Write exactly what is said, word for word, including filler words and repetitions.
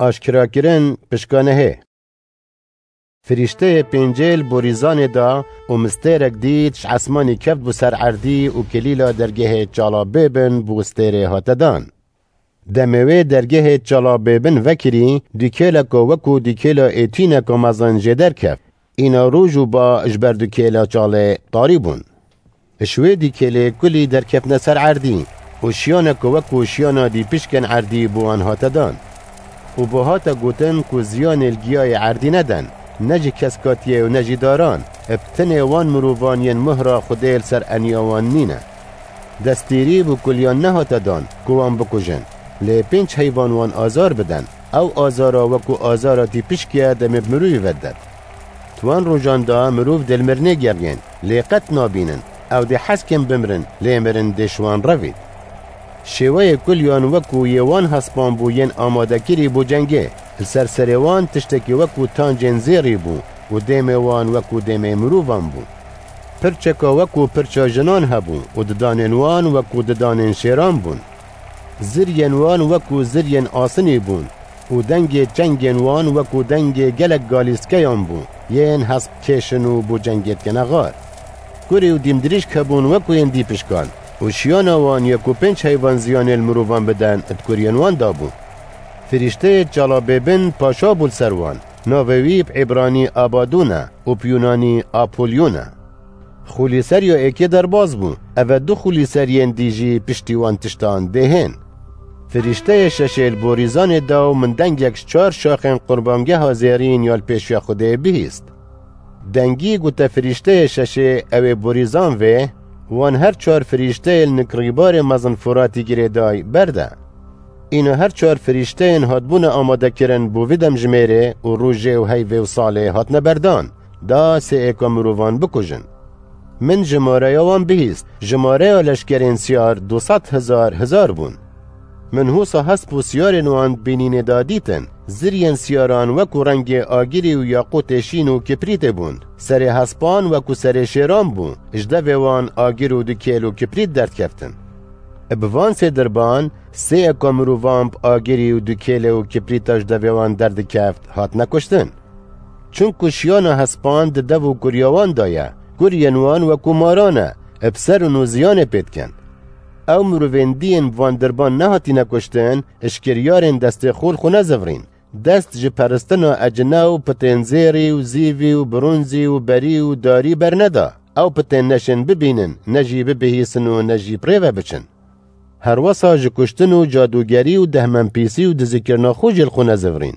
Aşkerakirin pişkanehê. Firîşteyê pêncê li borîzanê da û min stêrek dît, ji esmanî keft bû ser erdî û kilîla dergehê çala bêbin bû stêrê hate dan. Demê wê dergehê çala bêbin vekirî, dûkêleka wekû dûkêla êtîneka mezin jê derkeft. Îna roj û ba ji ber dûkêla çalê tarî bûn. Ji wê dîkêlê kulî derketine ser erdî û şiyaneke wekû şiyana dîpişkên erdî bo wan hate dan. Û bo hate gotin ku ziyanê li giyayê erdî neden, ne ji keskatiyê û ne jî daran, bi tenê wan mirovan yên muhra Xwedê li ser eniya wan nîne. Destêrî bo kuliyan nehate dan ku wan bikujin, lê pênc heyvan wan azar biden, ew azara wekû azara tîpişkiye demê bi mirovî ve didet. Di wan rojan de mirov dê li mirinê geriyên, lê qet nabînin, ew dê hez kin bimirin, lê mirin dê ji wan revît. Şêweyê kuliyan wekû yê wan hespan bû yên amadekirî bo cengê, li ser serê wan tiştekî wekû tancên zêrî bû û dêmê wan wekû dêmê mirovan bû. Pirçeka wekû pirça jinan hebû û didanên wan wekû didanên şêran bûn. Ziriyên wan wekû ziriyên asinî bûn û dengê çengên wan wekû dengê gelek galîskeyan bû, yên hesp kêşin û bo cengê dikene xar. Kurî û dîmdirîşk hebûn wekû yên dîpişkan û şiyana wan ya ku pênc heyvan ziyanê li mirovan biden di kuriyên wan da bû. Firîşteyê çala bêbin paşa bû li ser wan. Navê wî bi îbranî Abadûn e û bi yûnanî Apolyûn e. Xûlîseriya êkê derbas bû, eve du xûlîseriyên dî jî piştî wan tiştan dê hên. Firîşteyê şeşê li borîzanê da û min dengek ji çar şaxên qurbangeha zêrîn ya li pêşiya Xwedê bihîst. Dengî gote firîşteyê şeşê ew ê borîzan vê, wan her çar firîşteyê li nik rîbarê mezin Furatî girêday berde. Îna her çar firîşteyên hatbûne amadekirin bo vî demjimêrê û rojê û heyvê û salê hatine berdan, da sê êka mirovan bikujin. Min jimareya wan bihîst, jimareya leşkerên siyar du sed hezar hezar bûn. Min hûsa hesp û siyarên wan di bînînê de dîtin, ziriyên siyaran wekû rengê agirî û yaqûtê şîn û kiprîtê bûn. Serê hespan wekû serê şêran bû, ji devê wan agir û dûkêl û kiprît derdikeftin. Bi van sê dirban, sê eka mirovan bi agirî û dûkêlê û kiprîta ji devê wan derdikeft, hatine kuştin. Çunku şiyana hespan di dev û kuriya wan de ye, kuriyên wan wekû maran e, bi ser û nû ziyanê pê dikin. Ew mirovên dî yên bi van dirban nehatîne kuştin, ji kiryarên destê xwe li xwe nezivirîn. Dest ji peristina ecine û pitên zêrî û zîvî û bronzî û berî û darî berneda. Ew pitên neşên bibînin, ne jî bibihîsin û ne jî bi rê ve biçin. Herwesa ji kuştin û cadûgerî û dehmenpîsî û dizikirina xwe jî li xwe nezivirîn.